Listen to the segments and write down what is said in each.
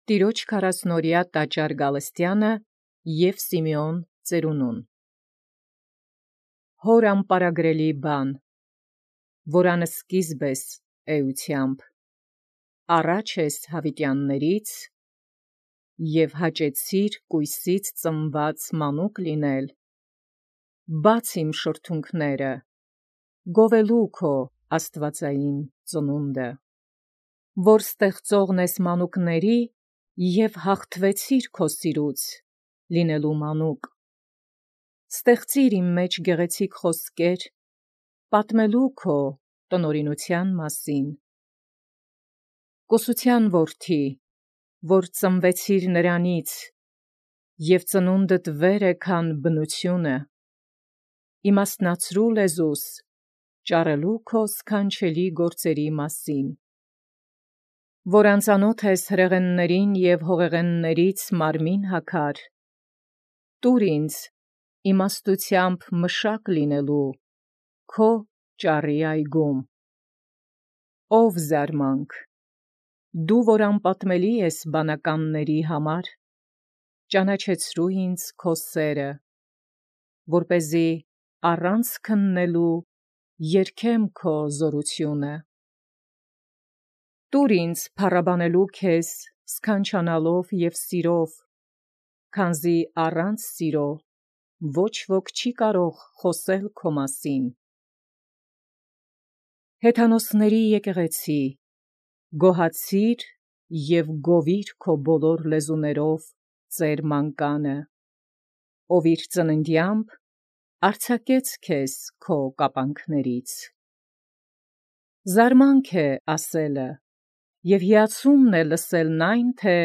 Տիրոջ քարասնորյա տաճար Գալստյանը և Սիմեոն ծերունուն։ Հոր ամպարագրելի բան, որ անսկիզբ ես էությամբ, առաջ ես հավիտյաններից և հաճեցիր կույսից ծնված մանուկ լինել, բաց իմ շրթունքները, գովելու քո աստվածային ծնունդը, որ ստեղծողն ես մանուկների և հաղթվեցիր քո սիրուց, լինելու մանուկ, ստեղծիր իմ մեջ գեղեցիկ խոսքեր, պատմելու քո տնօրինության մասին, կուսության որդի, որ ծնվեցիր նրանից, և ծնունդդ վեր է քան բնությունը, իմաստնացրու լեզուս, ճառելու քո սքանչելի գործերի մասին, որ անծանոթ ես հրեղեններին և հողեղեններից մարմին հագար, տուր ինձ իմաստությամբ մշակ լինելու քո ճառի այգում, ով զարմանք, դու որ անպատմելի ես բանականների համար, ճանաչեցրու ինձ քո սերը, որպեսզի առանց քննելու երգեմ քո զորությունը, տուր ինձ փառաբանելու քեզ սքանչանալով և սիրով, քանզի առանց սիրո ոչ ոք չի կարող խոսել քո մասին, հեթանոսների եկեղեցի, գոհացիր և գովիր քո բոլոր լեզուներով ծեր մանկանը, ով իր ծննդյամբ արձակեց քեզ քո կապանքներից, զարմանք է ասելը, և հիացումն է լսելն այն, թե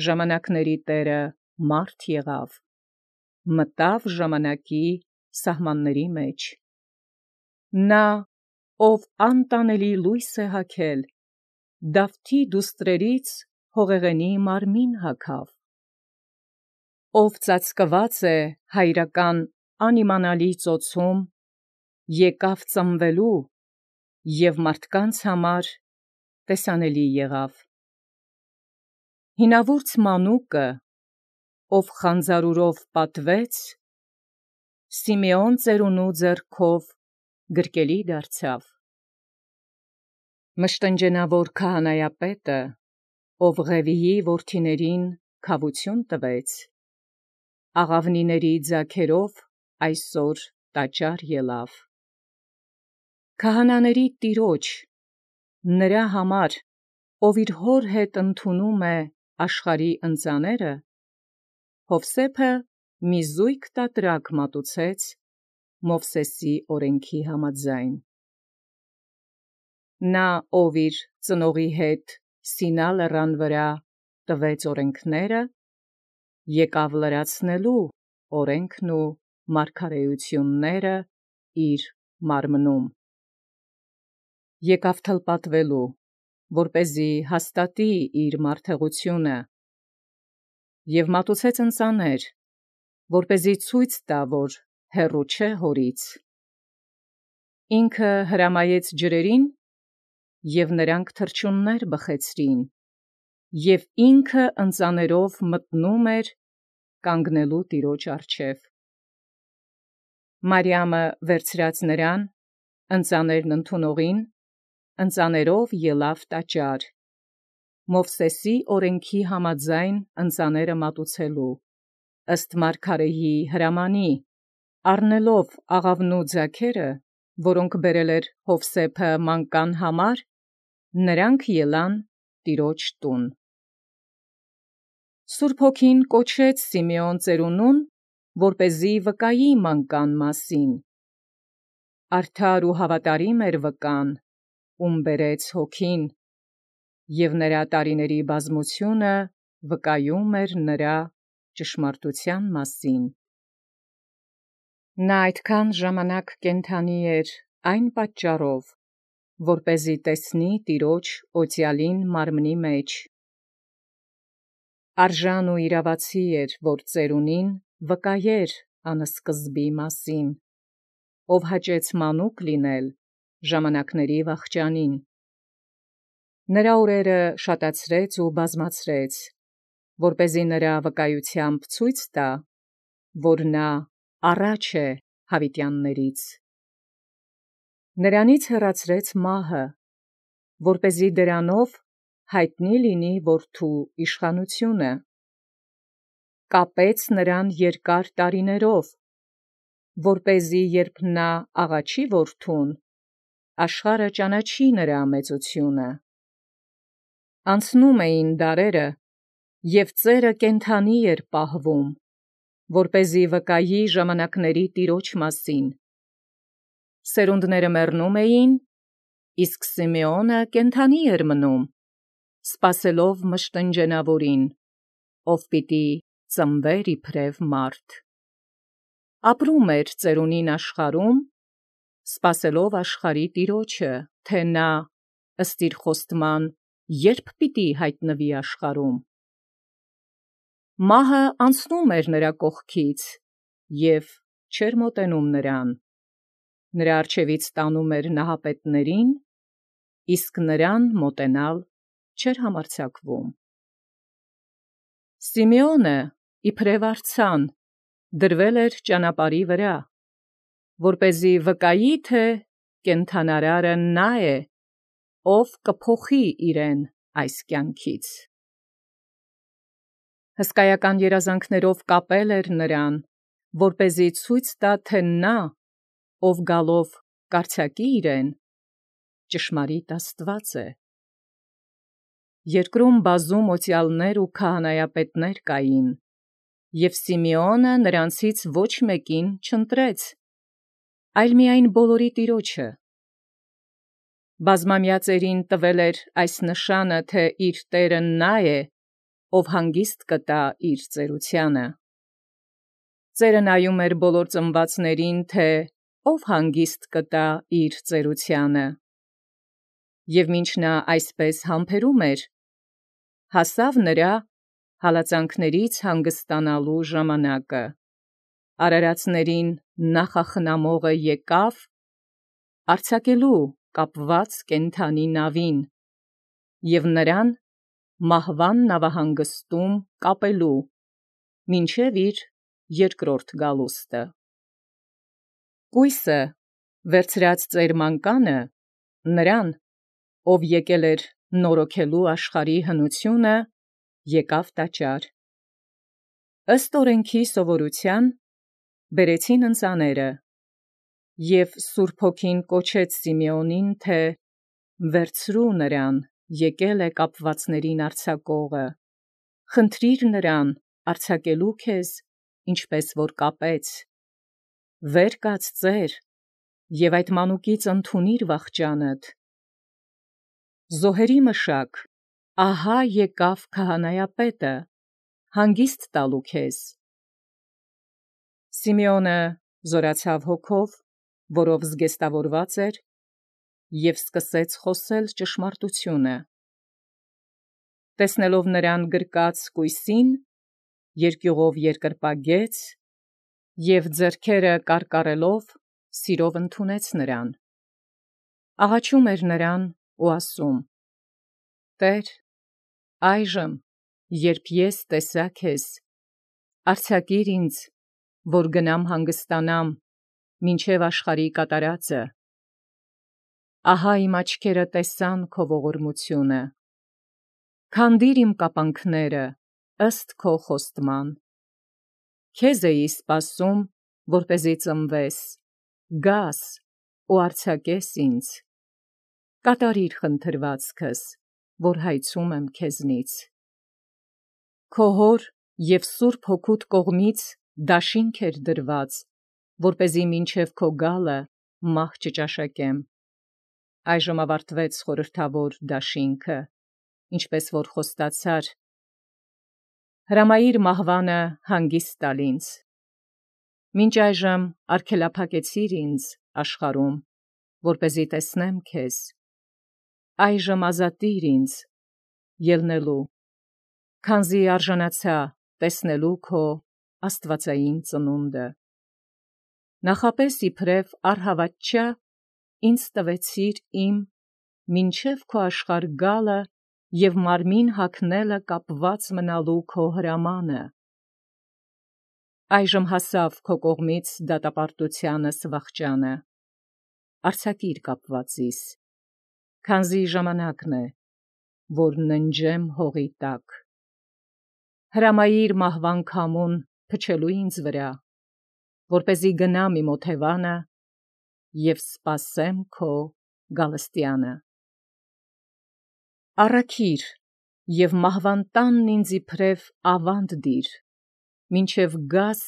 ժամանակների Տերը մարդ եղավ, մտավ ժամանակի սահմանների մեջ, նա, ով անտանելի լույս է հագել, Դավթի դուստրերից հողեղենի մարմին հագավ, ով ծածկված է հայրական անիմանալի ծոցում, եկավ ծնվելու և մարդկանց համար տեսանելի եղավ, հինավուրց մանուկը, ով խանձարուրով պատվեց, Սիմեոն ծերունու ձեռքով գրկելի դարձավ, մշտնջենավոր քահանայապետը, ով Ղևիի որդիներին քավություն տվեց, աղավնիների ձագերով այսօր տաճար ելավ, քահանաների Տիրոջ, նրա համար, ով իր հոր հետ ընդունում է աշխարհի ընծաները, Հովսեփը մի զույգ տատրակ մատուցեց Մովսեսի օրենքի համաձայն, նա, ով իր ծնողի հետ Սինա լեռան վրա տվեց օրենքները, եկավ լրացնելու օրենքն ու մարգարեությունները իր մարմնում, եկավ թլպատվելու, որպեսզի հաստատի իր մարդեղությունը, և մատուցեց ընծաներ, որպեսզի ցույց տա, որ հեռու չէ հորից, ինքը հրամայեց ջրերին, և նրանք թռչուններ բխեցրին, և ինքը ընծաներով մտնում էր կանգնելու Տիրոջ առջև, Մարիամը վերցրած նրան, ընծաներն ընդունողին, ընծաներով ելավ տաճար, Մովսեսի օրենքի համաձայն ընծաները մատուցելու, ըստ մարգարեի հրամանի, առնելով աղավնու ձագերը, որոնք բերել էր Հովսեփը մանկան համար, նրանք ելան Տիրոջ տուն։ Սուրբ Հոգին կոչեց Սիմեոն ծերունուն, որպեսզի վկայի մանկան մասին, արդար ու հավատարիմ էր վկան, ում բերեց Հոգին, և նրա տարիների բազմությունը վկայում էր նրա ճշմարտության մասին, նա այդքան ժամանակ կենդանի էր այն պատճառով, որպեսզի տեսնի Տիրոջ օծյալին մարմնի մեջ, արժան ու իրավացի էր, որ ծերունին վկայեր անսկզբի մասին, ով հաճեց մանուկ լինել ժամանակների վախճանին, նրա օրերը շատացրեց ու բազմացրեց, որպեսզի նրա վկայությամբ ցույց տա, որ նա առաջ է հավիտյաններից։ Նրանից հեռացրեց մահը, որպեսզի դրանով հայտնի լինի որդու իշխանությունը։ Կապեց նրան երկար տարիներով, որպեսզի երբ նա աղաչի որդուն, աշխարհը ճանաչի նրա մեծությունը։ Անցնում էին դարերը, և ծերը կենդանի էր պահվում, որպեսզի վկայի ժամանակների Տիրոջ մասին։ Սերունդները մեռնում էին, իսկ Սիմեոնը կենդանի էր մնում, սպասելով մշտնջենավորին, ով պիտի ծնվեր իբրև մարդ։ Ապրում էր ծերունին աշխարհում, սպասելով աշխարհի Տիրոջը, թե նա ըստ իր խոստման երբ պիտի հայտնվի աշխարհում։ Մահը անցնում էր նրա կողքից և չէր մոտենում նրան։ Նրա առջևից տանում էր նահապետներին, իսկ նրան մոտենալ չէր համարձակվում։ Սիմեոնը իբրև արձան դրվել էր ճանապարհի վրա, որպեսզի վկայի, թե կենդանարարը նա է, ով կփոխի իրեն այս կյանքից։ Հսկայական երազանքներով կապել էր նրան, որպեսզի ցույց տա, թե նա, ով գալով կարձակի իրեն, ճշմարիտ Աստված է։ Երկրում բազում օծյալներ ու քահանայապետներ կային, և Սիմեոնը նրանցից ոչ մեկին չընտրեց, այլ միայն բոլորի Տիրոջը։ Բազմամյա ծերին տվել էր այս նշանը, թե իր Տերը նա է, ով հանգիստ կտա իր ծերությանը։ Ծերը նայում էր բոլոր ծնվածներին, թե ով հանգիստ կտա իր ծերությանը։ Եվ մինչ նա այսպես համբերում էր, հասավ նրա հալածանքներից հանգստանալու ժամանակը։ Արարածներին նախախնամողը եկավ արձակելու կապված կենդանի նավին և նրան մահվան նավահանգստում կապելու, մինչև իր երկրորդ գալուստը։ Կույսը վերցրած ծեր մանկանը նրան, ով եկել էր նորոգելու աշխարհի հնությունը, եկավ տաճար։ Ըստ օրենքի սովորության բերեցին ընծաները, և Սուրբ Հոգին կոչեց Սիմեոնին, թե վերցրու նրան, եկել է կապվածներին արձակողը, խնդրիր նրան արձակելու քեզ, ինչպես որ կապեց, վեր կաց ծեր և այդ մանուկից ընդունիր վախճանդ։ Զոհերի մշակ, ահա եկավ քահանայապետը, հանգիստ տալու քեզ։ Սիմեոնը զորացավ հոգով, որով զգեստավորված էր, և սկսեց խոսել ճշմարտությունը։ Տեսնելով նրան գրկած կույսին, երկյուղով երկրպագեց և ձեռքերը կարկառելով սիրով ընդունեց նրան։ Աղաչում էր նրան ու ասում. «Տեր, այժմ, երբ ես տեսա քեզ, արձակիր ինձ, որ գնամ հանգստանամ մինչև աշխարհի կատարածը։ Ահա իմ աչքերը տեսան քո ողորմությունը։ Քանդիր իմ կապանքները ըստ քո խոստման։ Քեզ էի սպասում, որպեսզի ծնվես, գաս ու արձակես ինձ։ Կատարիր խնդրվածքս, որ հայցում եմ քեզնից։ Քո հոր և Սուրբ Հոգուդ կողմից դաշինք էր դրված, որպեսզի մինչև քո գալը մահ չճաշակեմ։ Այժմ ավարտվեց խորհրդավոր դաշինքը, ինչպես որ խոստացար։ Հրամայիր մահվանը հանգիստ տալ ինձ։ Մինչ այժմ արգելափակեցիր ինձ աշխարհում, որպեսզի տեսնեմ քեզ։ Այժմ ազատիր ինձ ելնելու, քանզի արժանացա տեսնելու քո աստվածային ծնունդը։ Նախապես իբրև առհավատչա ինձ տվեցիր իմ մինչև քո աշխարհ գալը և մարմին հագնելը կապված մնալու քո հրամանը։ Այժմ հասավ քո կողմից դատապարտությանս վախճանը, արձակիր կապվածիս, քանզի ժամանակն է, որ ննջեմ հողի տակ։ Հրամայիր մահվան քամուն փչելու ինձ վրա, որպեսզի գնամ իմ օթևանը և սպասեմ քո գալստյանը։ Առաքիր և մահվան տանն ինձ իբրև ավանդ դիր, մինչև գաս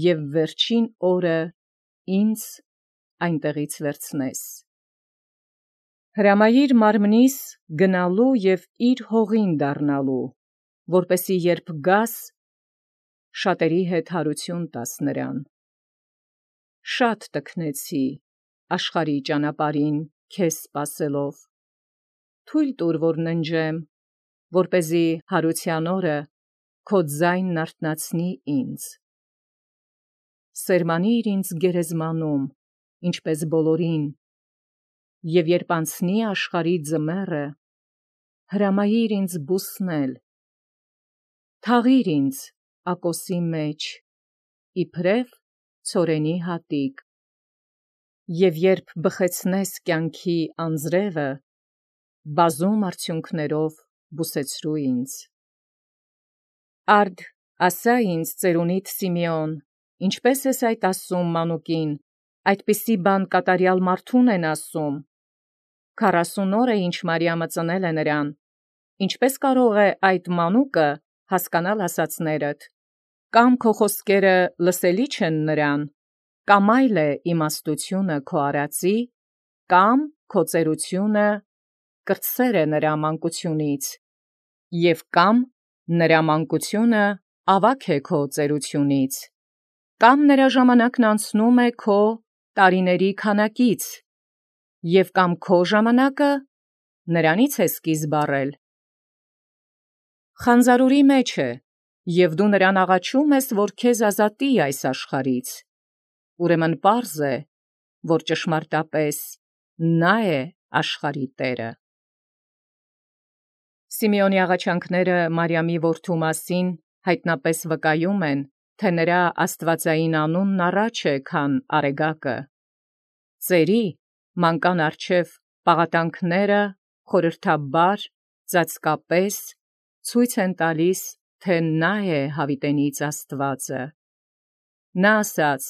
և վերջին օրը ինձ այնտեղից վերցնես։ Հրամայիր մարմնիս գնալու և իր հողին դառնալու, որպեսզի երբ գաս, շատերի հետ հարություն տաս նրան։ Շատ տքնեցի աշխարհի ճանապարհին քեզ սպասելով, թույլ տուր, որ ննջեմ, որպեսզի հարության օրը քո ձայնն արթնացնի ինձ։ Սերմանիր ինձ գերեզմանում, ինչպես բոլորին, և երբ անցնի աշխարհի ձմեռը, հրամայիր ինձ բուսնել։ Թաղիր ինձ ակոսի մեջ, իբրև ցորենի հատիկ, և երբ բխեցնես կյանքի անձրևը, բազում արդյունքներով բուսեցրու ինձ։ Արդ ասա ինձ, ծերունիդ Սիմեոն, ինչպե՞ս ես այդ ասում մանուկին, այդպիսի բան կատարյալ մարդուն են ասում։ 40 օր է, ինչ Մարիամը ծնել է նրան, ինչպե՞ս կարող է այդ մանուկը հասկանալ ասածներդ, կամ քո խոսքերը լսելի չեն նրան, կամ այլ է իմաստությունը քո արածի, կամ քո ծերությունը կրտսեր է նրա մանկությունից, և կամ նրա մանկությունը ավագ է քո ծերությունից, կամ նրա ժամանակն անցնում է քո տարիների քանակից, և կամ քո ժամանակը նրանից է սկիզբ առել։ Խանձարուրի մեջ է, և դու նրան աղաչում ես, որ քեզ ազատի այս աշխարհից, ուրեմն պարզ է, որ ճշմարտապես նա է աշխարհի տերը։ Սիմեոնի աղաչանքները Մարիամի որդու մասին հայտնապես վկայում են, թե նրա աստվածային անունն առաջ է, քան արեգակը։ Ծերի մանկան առջև պաղատանքները խորհրդաբար, ծածկապես ցույց են տալիս, թե նա է հավիտենից Աստվածը։ Նա ասաց.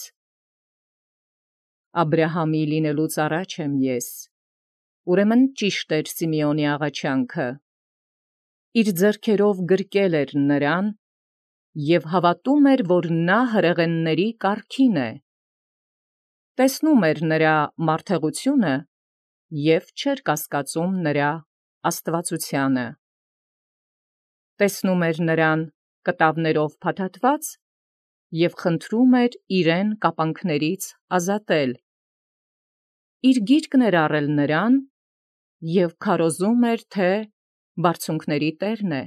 «Աբրահամի լինելուց առաջ եմ ես», ուրեմն ճիշտ էր Սիմեոնի աղաչանքը։ Իր ձեռքերով գրկել էր նրան և հավատում էր, որ նա հրեղենների կարգին է։ Տեսնում էր նրա մարդեղությունը և չէր կասկածում նրա աստվածությանը։ Տեսնում էր նրան կտավներով փաթաթված և խնդրում էր իրեն կապանքներից ազատել։ Իր գիրկն էր առել նրան և քարոզում էր, թե բարձունքների տերն է։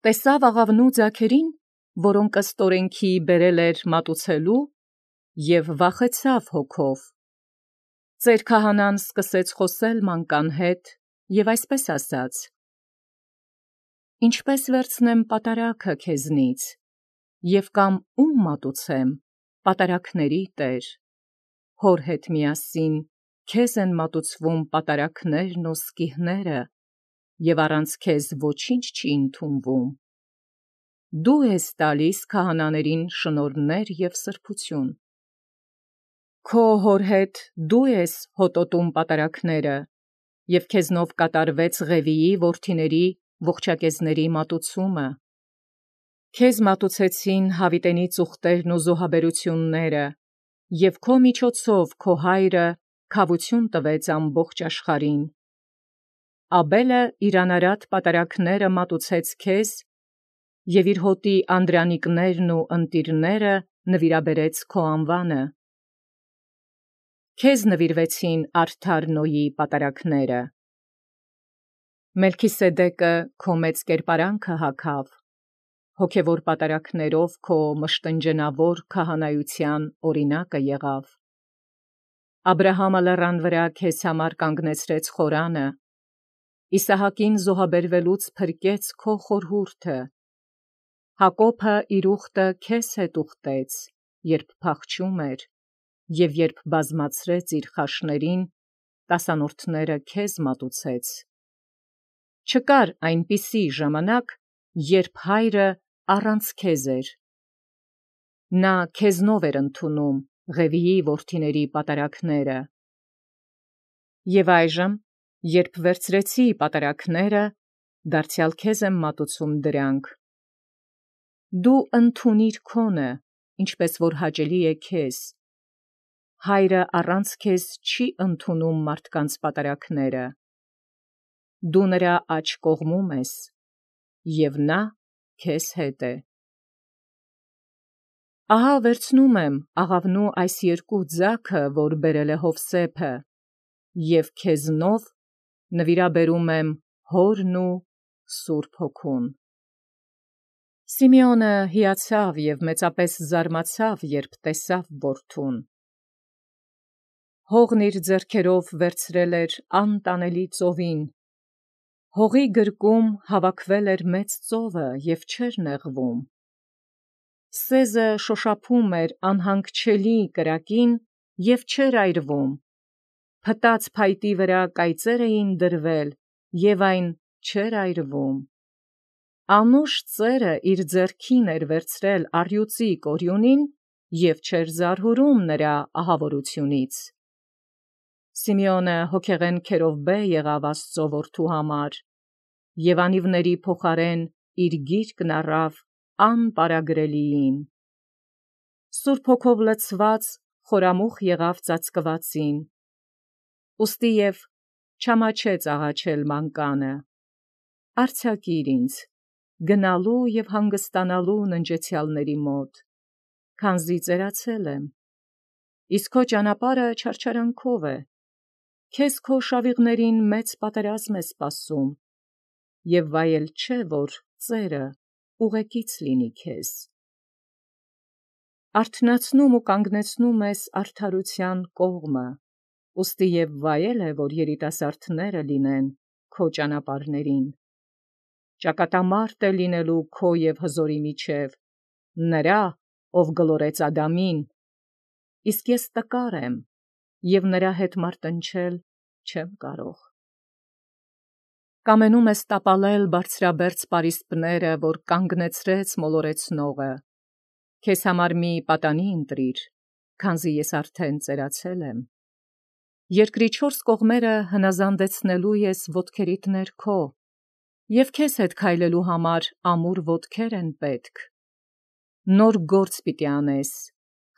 Տեսավ աղավնու ձագերին, որոնք ըստ օրենքի բերել էր մատուցելու, և վախեցավ հոգով։ Ծեր քահանան սկսեց խոսել մանկան հետ և այսպես ասաց. «Ինչպե՞ս վերցնեմ պատարագը քեզնից, և կամ ում մատուցեմ, պատարագների տեր, հոր հետ միասին քեզ են մատուցվում պատարագներն ու սկիհները, և առանց քեզ ոչինչ չի ընդունվում։ Դու ես տալիս քահանաներին շնորհներ և սրբություն։ Քո հոր հետ դու ես հոտոտում պատարագները, և քեզնով կատարվեց Ղևիի որդիների ողջակեզների մատուցումը։ Քեզ մատուցեցին հավիտենի ծուխտերն ու զոհաբերությունները, և քո միջոցով քո հայրը քավություն տվեց ամբողջ աշխարհին։ Աբելը իր անարատ պատարագները մատուցեց քեզ, և իր հոտի անդրանիկներն ու ընտիրները նվիրաբերեց քո անվանը։ Քեզ նվիրվեցին արդար Նոյի պատարագները։ Մելքիսեդեկը քո մեծ կերպարանքը հագավ, հոգևոր պատարագներով քո մշտնջենավոր քահանայության օրինակը եղավ։ Աբրահամը լեռան վրա քեզ համար կանգնեցրեց խորանը, Իսահակին զոհաբերվելուց փրկեց քո խորհուրդը, Հակոբը իր ուխտը քեզ հետ ուխտեց, երբ փախչում էր, և երբ բազմացրեց իր խաշներին, տասանորդները քեզ մատուցեց։ Չկար այնպիսի ժամանակ, երբ հայրը առանց քեզ էր։ Նա քեզնով էր ընդունում Ղևիի որդիների պատարագները։ Եվ այժմ, երբ վերցրեցի պատարագները, դարձյալ քեզ եմ մատուցում դրանք։ Դու ընդունիր քոնը, ինչպես որ հաճելի է քեզ։ Հայրը առանց քեզ չի ընդունում մարդկանց պատարագները։ Դու նրա աջ կողմում ես, և նա քեզ հետ է։ Ահա վերցնում եմ աղավնու այս երկու ձագը, որ բերել է Հովսեփը, և քեզնով նվիրաբերում եմ հորն ու Սուրբ Հոգուն։ Սիմեոնը հիացավ և մեծապես զարմացավ, երբ տեսավ որդուն։ Հողն իր ձեռքերով վերցրել էր անտանելի ծովին։ Հողի գրկում հավաքվել էր մեծ ծովը և չէր նեղվում։ Սեզը շոշափում էր անհանգչելի կրակին և չէր այրվում։ Փտած փայտի վրա կայծեր էին դրվել, և այն չէր այրվում։ Անուշ ծերը իր ձեռքին էր վերցրել առյուծի կորյունին և չէր զարհուրում նրա ահավորությունից։ Սիմեոնը հոգեղեն եղավ Աստծո որդու համար, և անիվների փոխարեն իր գիրկն առավ անպարագրելիին։ Սուրբ Հոգով լցված խորամուխ եղավ ծածկվածին, ուստի և չամաչեց աղաչել մանկանը. «Արձակիր ինձ, գնալու և հանգստանալու ննջեցյալների մոտ, քանզի ծերացել եմ, իսկ քո ճանապարհը չարչարանքով է, քեզ քո շավիղներին մեծ պատերազմ է սպասում, և վայել չէ, որ ծերը ուղեկից լինի քեզ։ Արթնացնում ու կանգնեցնում ես արդարության կողմը, ուստի և վայել է, որ երիտասարդները լինեն քո ճանապարհներին։ Ճակատամարտ է լինելու քո և հզորի միջև, նրա, ով գլորեց Ադամին, իսկ ես տկար եմ, և նրա հետ մարտնչել չեմ կարող։ Կամենում ես տապալել բարձրաբերձ պարիսպները, որ կանգնեցրեց մոլորեցնողը, քեզ համար մի պատանի ընտրիր, քանզի ես արդեն ծերացել եմ։ Երկրի չորս կողմերը հնազանդեցնելու ես ոտքերիդ ներքո, և քեզ հետ քայլելու համար ամուր ոտքեր են պետք։ Նոր գործ պիտի անես,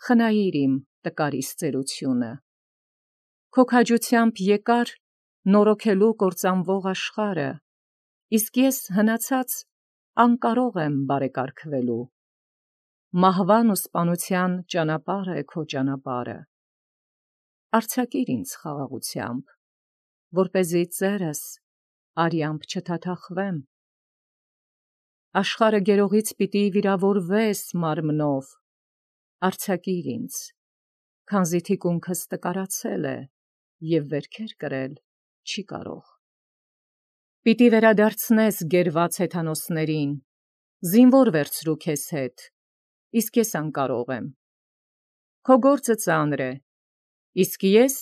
խնայիր իմ տկարիս ծերությունը։ Քո քաջությամբ եկար նորոգելու կործանվող աշխարհը, իսկ ես հնացած անկարող եմ բարեկարգվելու։ Մահվան ու սպանության ճանապարհ է քո ճանապարհը։ Արձակիր ինձ խաղաղությամբ, որպեսզի ծերս արյամբ չթաթախվեմ։ Աշխարհը գերողից պիտի վիրավորվես մարմնով, արձակիր ինձ, քանզի թիկունքս տկարացել է և վերքեր կրել չի կարող։ Պիտի վերադարձնես գերված հեթանոսներին, զինվոր վերցրու քեզ հետ, իսկ ես անկարող եմ։ Քո գործը ծանր է, իսկ ես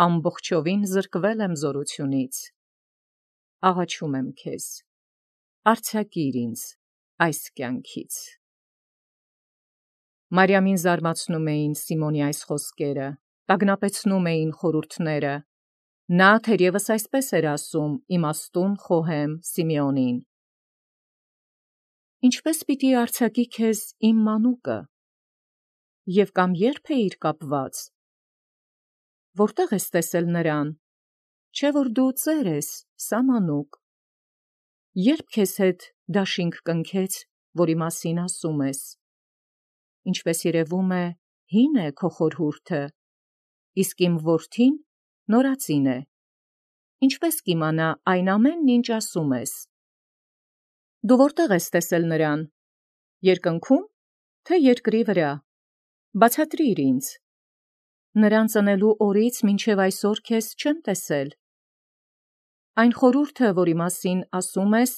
ամբողջովին զրկվել եմ զորությունից։ Աղաչում եմ քեզ, արձակիր ինձ այս կյանքից։ Մարիամին զարմացնում էին Սիմոնի այս խոսքերը, տագնապեցնում էին խորհուրդները։ Նա թերևս այսպես էր ասում իմաստուն խոհեմ Սիմեոնին. «Ինչպես պիտի արձակի քեզ իմ մանուկը, և կամ ե՞րբ էիր կապված։ Որտե՞ղ ես տեսել նրան, չէ՞ որ դու ծեր ես, սա մանուկ։ Ե՞րբ քեզ հետ դաշինք կնքեց, որի մասին ասում ես։ Ինչպես երևում է, հին է քո խորհուրդը, իսկ իմ որդին նորածին է։ Ինչպես կիմանա այն ամենն, ինչ ասում ես։ Դու որտե՞ղ ես տեսել նրան, երկնքո՞ւմ, թե երկրի վրա։ Բացատրիր ինձ։ Նրան ծնելու օրից մինչև այսօր քեզ չեմ տեսել։ Այն խորհուրդը, որի մասին ասում ես,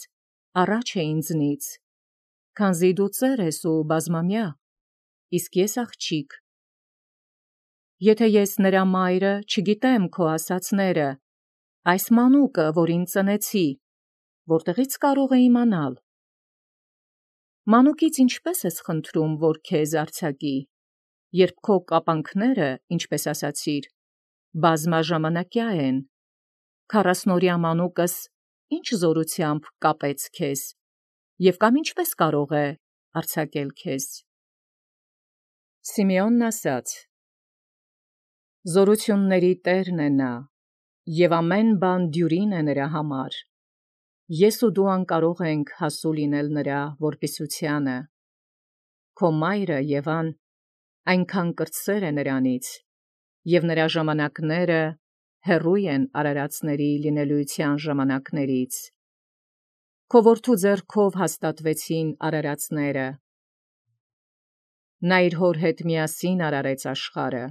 առաջ է ինձնից, քանզի դու ծեր ես ու բազմամյա, իսկ ես աղջիկ։ Եթե ես նրա մայրը չգիտեմ քո ասացները, այս մանուկը, որին ծնեցի, որտեղից կարող է իմանալ։ Մանուկից ինչպես ես խնդրում, որ քեզ արձակի, երբ քո կապանքները, ինչպես ասացիր, բազմաժամանակյա են, 40-օրյա մանուկս ինչ զորությամբ կապեց քեզ, և կամ ինչպես կարող է արձակել քեզ։ Սիմեոնն ասաց. Զորությունների Տերն է նա, և ամեն բան դյուրին է նրա համար։ Ես ու դու անկարող ենք հասու լինել նրա որպիսությանը։ Քո մայրը Եվան այնքան կրտսեր է նրանից, և նրա ժամանակները հեռու են արարածների լինելույթյան ժամանակներից։ Քո որդու ձեռքով հաստատվեցին արարածները։ Նա իր հոր հետ միասին արարեց աշխարհը։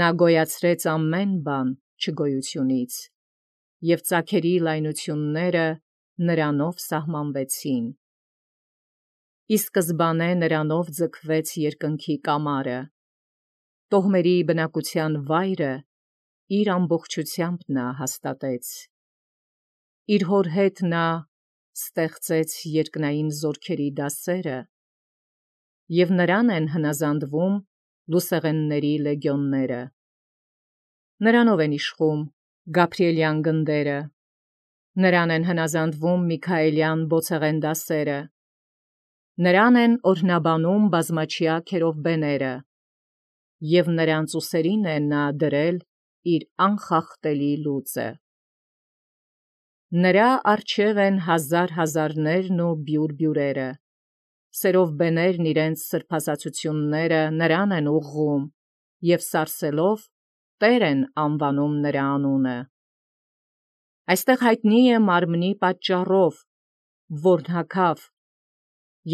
Նա գոյացրեց ամեն բան չգոյությունից, և ծագերի լայնությունները նրանով սահմանվեցին։ Ի սկզբանե նրանով ձգվեց երկնքի կամարը, տոհմերի բնակության վայրը իր ամբողջությամբ նա հաստատեց։ Իր հոր հետ նա ստեղծեց երկնային զորքերի դասերը, և նրան են հնազանդվում լուսեղենների լեգիոնները։ Նրանով են իշխում Գաբրիելյան գնդերը, նրան են հնազանդվում Միքայելյան բոցեղեն դասերը, նրան են օրհնաբանում բազմաչյա քերովբեները, և նրանց ուսերին է նա դրել իր անխախտելի լուծը։ Նրա առջև են հազար հազարներն ու բյուրբյուրերը, սերովբեներն իրենց սրբազացությունները նրան են ուղղում, և սարսելով Տեր են անվանում նրա անունը։ Այստեղ հայտնի է մարմնի պատճառով, որն հագավ,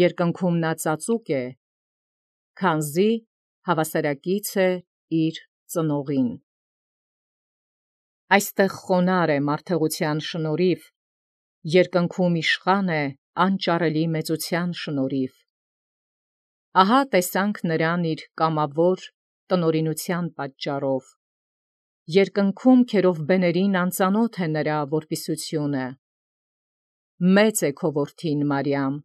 երկնքում նա ծածուկ է, քանզի հավասարակից է իր ծնողին։ Այստեղ խոնարհ է մարդեղության շնորհիվ, երկնքում իշխան է անճարելի մեծության շնորհիվ։ Ահա տեսանք նրան իր կամավոր տնօրինության պատճառով։ Երկնքում քերովբեներին անծանոթ է նրա որպիսությունը։ Մեծ է քո որդին Մարիամ,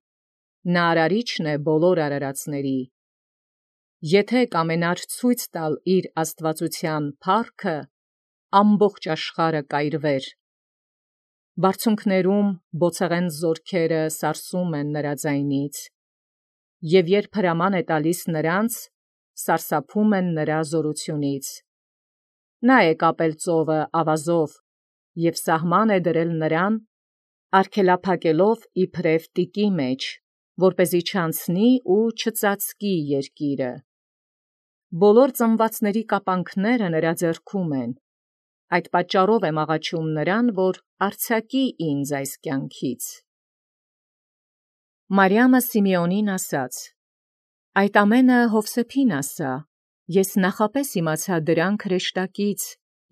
նա արարիչն է բոլոր արարածների։ Եթե կամենար ցույց տալ իր աստվածության փառքը, ամբողջ աշխարհը կայրվեր։ Բարձունքներում բոցեղեն զորքերը սարսում են նրա ձայնից, և երբ հրաման է տալիս նրանց, սարսափում են նրա զորությունից։ Նա է կապել ծովը ավազով և սահման է դրել նրան, արգելափակելով իբրև տիկի մեջ, որպեսզի չանցնի ու չծածկի երկիրը։ Բոլոր ծնվածների կապանքները նրա ձեռքում են, այդ պատճառով եմ աղաչում նրան, որ արձակի ինձ այս կյանքից։ Մարիամը Սիմեոնին ասաց. Այդ ամենը Հովսեփին ասա, ես նախապես իմացա դրանք հրեշտակից,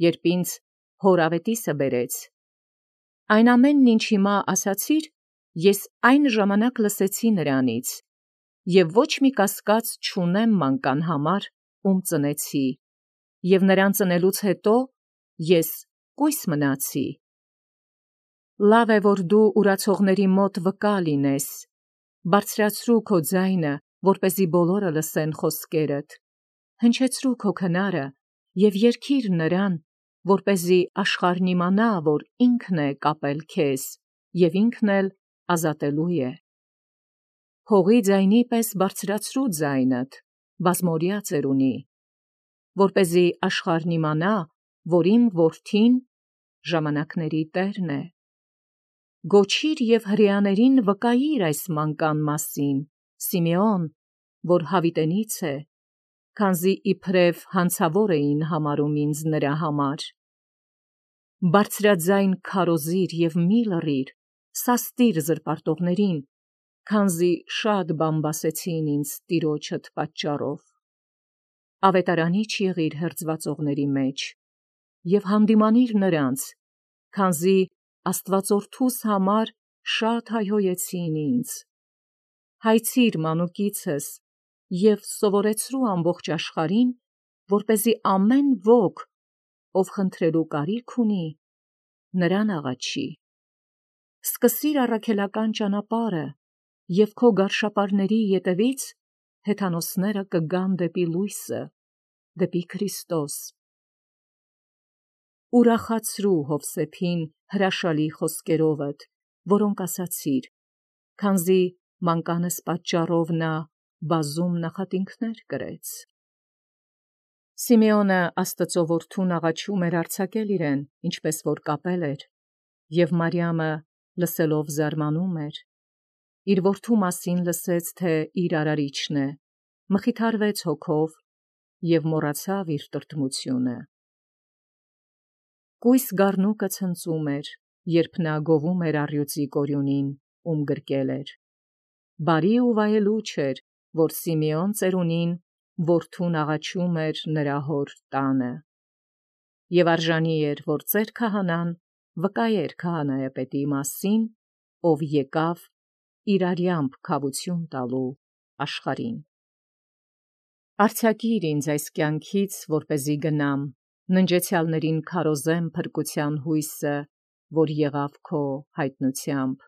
երբ ինձ հոր ավետիսը բերեց։ Այն ամենն, ինչ հիմա ասացիր, ես այն ժամանակ լսեցի նրանից, և ոչ մի կասկած չունեմ մանկան համար, ում ծնեցի, և նրան ծնելուց հետո ես կույս մնացի։ Լավ է, որ դու ուրացողների մոտ վկա լինես, բարձրացրու քո ձայնը, որպեսզի բոլորը լսեն խոսքերդ, հնչեցրու քո քնարը և երգիր նրան, որպեսզի աշխարհն իմանա, որ ինքն է կապել քեզ, և ինքն էլ ազատելու է։ Հողի ձայնի պես բարձրացրու ձայնդ, բազմօրյա ծերունի, որպեսզի աշխարհն իմանա, որ իմ որդին ժամանակների Տերն է։ Գոչիր և հրեաներին վկայիր այս մանկան մասին, Սիմեոն, որ հավիտենից է, քանզի իբրև հանցավոր էին համարում ինձ նրա համար։ Բարձրաձայն քարոզիր և մի լռիր, սաստիր զրպարտողներին, քանզի շատ բամբասեցին ինձ տիրոջդ պատճառով։ Ավետարանիչ եղիր հերձվածողների մեջ և հանդիմանիր նրանց, քանզի Աստվածորդուս համար շատ հայհոյեցին ինձ։ Հայցիր մանուկիցս և սովորեցրու ամբողջ աշխարհին, որպեսզի ամեն ոք, ով խնդրելու կարիք ունի, նրան աղաչի։ Սկսիր առաքելական ճանապարհը, և քո գարշապարների ետևից հեթանոսները կգան դեպի լույսը, դեպի Քրիստոս։ Ուրախացրու Հովսեփին հրաշալի խոսքերովդ, որոնք ասացիր, քանզի մանկանս պատճառով նա բազում նախատինքներ կրեց։ Սիմեոնը Աստծո որդուն աղաչում էր արձակել իրեն, ինչպես որ կապել էր, և Մարիամը լսելով զարմանում էր։ Իր որդու մասին լսեց, թե իր արարիչն է, մխիթարվեց հոգով և մոռացավ իր տրտմությունը։ Կույս գառնուկը ցնծում էր, երբ նա գովում էր առյուծի կորյունին, ում գրկել էր։ Բարի ու վայելուչ էր, որ Սիմեոն ծերունին որդուն աղաչում էր նրա հոր տանը։ Եվ արժանի էր, որ ծեր քահանան վկայեր քահանայապետի մասին, ով եկավ իր արյամբ քավություն տալու աշխարհին։ Արձակիր ինձ այս կյանքից, որպեսզի գնամ, ննջեցյալներին քարոզեմ փրկության հույսը, որ եղավ քո հայտնությամբ։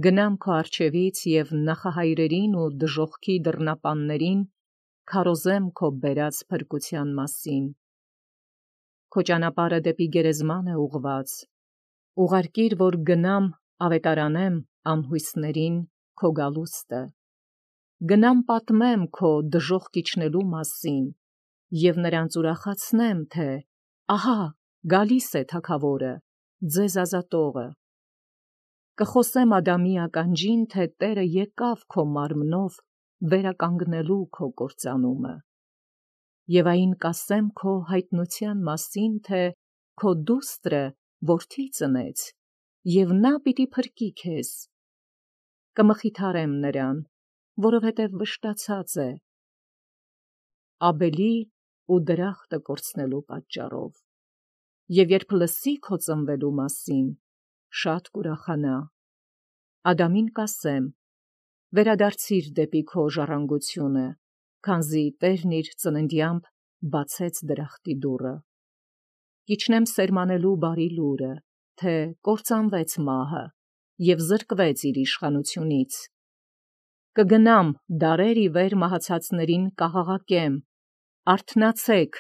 Գնամ քո առջևից և նախահայրերին ու դժոխքի դռնապաններին քարոզեմ քո բերած փրկության մասին։ Քո ճանապարհը դեպի գերեզման է ուղղված։ Ուղարկիր, որ գնամ ավետարանեմ անհույսներին քո գալուստը։ Գնամ պատմեմ քո դժոխք իջնելու մասին և նրանց ուրախացնեմ, թե ահա գալիս է Թագավորը, ձեզ ազատողը։ Կխոսեմ Ադամի ականջին, թե Տերը եկավ քո մարմնով վերականգնելու քո կործանումը։ Եվ այն կասեմ քո հայտնության մասին, թե քո դուստրը որդի ծնեց, և նա պիտի փրկի քեզ։ Կմխիթարեմ նրան, որովհետև վշտացած է Աբելի ու դրախտը կորցնելու պատճառով։ Եվ երբ լսի քո ծնվելու մասին, շատ կուրախանա։ Ադամին կասեմ. վերադարձիր դեպի քո ժառանգությունը, քանզի Տերն իր ծննդյամբ բացեց դրախտի դուռը։ Կիջնեմ սերմանելու բարի լուրը, թե կործանվեց մահը և զրկվեց իր իշխանությունից։ Կգնամ դարեր ի վեր մահացածներին կաղաղակեմ. արթնացեք,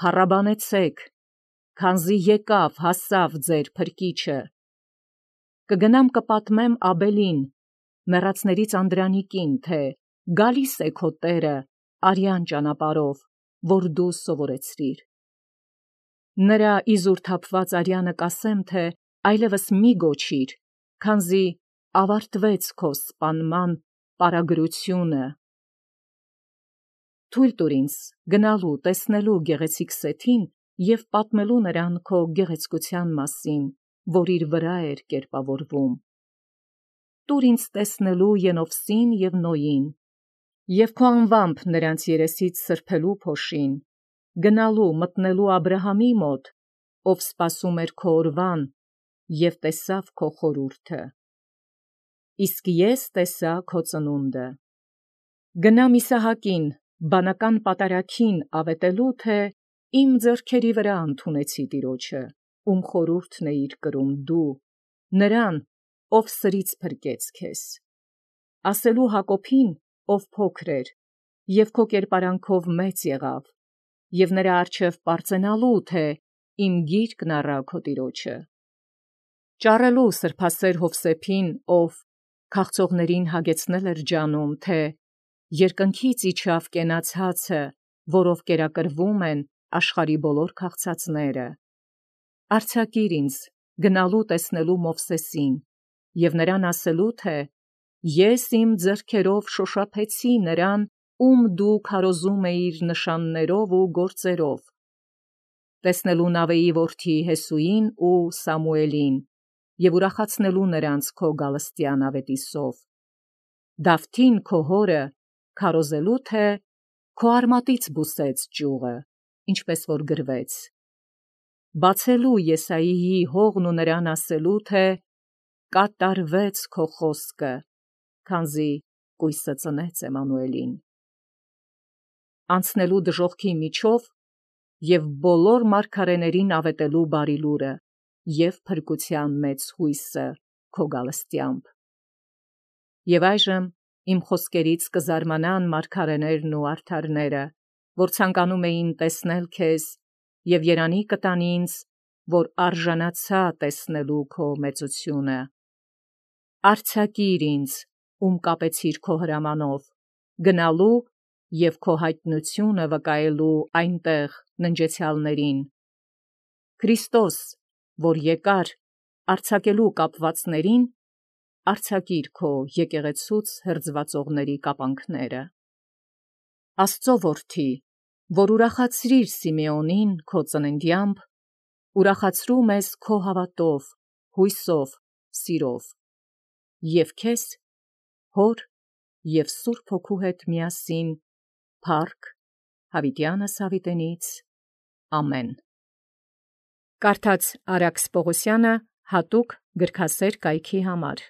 փառաբանեցեք, քանզի եկավ, հասավ ձեր փրկիչը։ Կգնամ կպատմեմ Աբելին, մեռածներից Անդրանիկին, թե գալիս է քո Տերը արյան ճանապարհով, որ դու սովորեցրիր։ Նրա իզուր թափված արյանը կասեմ, թե այլևս մի գոչիր, քանզի ավարտվեց քո սպանման պարագրությունը։ Թույլ տուր ինձ գնալու տեսնելու գեղեցիկ Սեթին և պատմելու նրան քո գեղեցկության մասին, որ իր վրա էր կերպավորվում։ Տուր ինձ տեսնելու Ենովսին և Նոյին, և քո անվամբ նրանց երեսից սրբելու փոշին, գնալու մտնելու Աբրահամի մոտ, ով սպասում էր քո օրվան և տեսավ քո խորհուրդը։ Իսկ ես տեսա քո ծնունդը։ Գնամ Իսահակին, բանական պատարագին ավետելու, թե իմ ձեռքերի վրա ընդունեցի Տիրոջը, ում խորհուրդն էիր կրում դու, նրան, ով սրից փրկեց քեզ։ Ասելու Հակոբին, ով փոքր էր, և քո կերպարանքով մեծ եղավ, և նրա առջև պարծենալու, թե իմ գիրկն առա քո Տիրոջը։ Ճառելու սրբասեր Հովսեփին, ով քաղցողներին հագեցնել էր ջանում, թե երկնքից իջավ կենաց հացը, որով կերակրվում են աշխարհի բոլոր քաղցածները։ Արձակիր ինձ գնալու տեսնելու Մովսեսին և նրան ասելու, թե ես իմ ձեռքերով շոշափեցի նրան, ում դու քարոզում էիր նշաններով ու գործերով, տեսնելու Նավեի որդի Հեսուին ու Սամուելին և ուրախացնելու նրանց քո գալստյան ավետիսով, Դավթին քո հորը քարոզելու, թե քո արմատից բուսեց ճյուղը, ինչպես որ գրվեց. բացելու Եսայիի հողն ու նրան ասելու, թե կատարվեց քո խոսքը, քանզի կույսը ծնեց Էմանուելին։ Անցնելու դժոխքի միջով և բոլոր մարգարեներին ավետելու բարի լուրը և փրկության մեծ հույսը քո գալստյամբ։ Եվ այժմ իմ խոսքերից կզարմանան մարգարեներն ու արդարները, որ ցանկանում էին տեսնել քեզ, և երանի կտան ինձ, որ արժանացա տեսնելու քո մեծությունը։ Արձակիր ինձ, ում կապեցիր քո հրամանով, գնալու և քո հայտնությունը վկայելու այնտեղ ննջեցյալներին։ Քրիստոս, որ եկար արձակելու կապվածներին, արձակիր քո եկեղեցուց հրձվածողների կապանքները։ Աստծո որդի, որ ուրախացրիր Սիմեոնին քո ծննդյամբ, ուրախացրու մեզ քո հավատով, հույսով, սիրով, և քեզ, Հոր և Սուրբ Հոգու հետ միասին, փառք հավիտյանս հավիտենից, ամեն։ Կարդաց Արաքս Պողոսյանը հատուկ գրքասեր կայքի համար։